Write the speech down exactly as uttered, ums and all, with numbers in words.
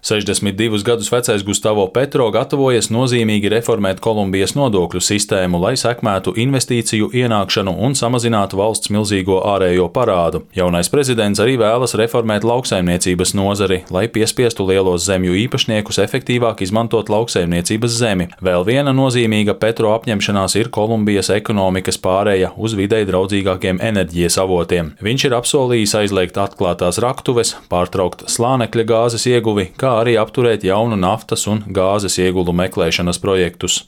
sešdesmit divus gadus vecais Gustavo Petro gatavojas nozīmīgi reformēt Kolumbijas nodokļu sistēmu, lai sekmētu investīciju ienākšanu un samazinātu valsts milzīgo ārējo parādu. Jaunais prezidents arī vēlas reformēt lauksaimniecības nozari, lai piespiestu lielos zemju īpašniekus efektīvāk izmantot lauksaimniecības zemi. Vēl viena nozīmīga Petro apņemšanās ir Kolumbijas ekonomikas pārēja uz videi draudzīgākiem enerģijas avotiem. Viņš ir apsolījis aizliegt atklātās raktuves, pārtraukt slānekļa gāzes ieguvi, kā arī apturēt jaunu naftas un gāzes iegulu meklēšanas projektus.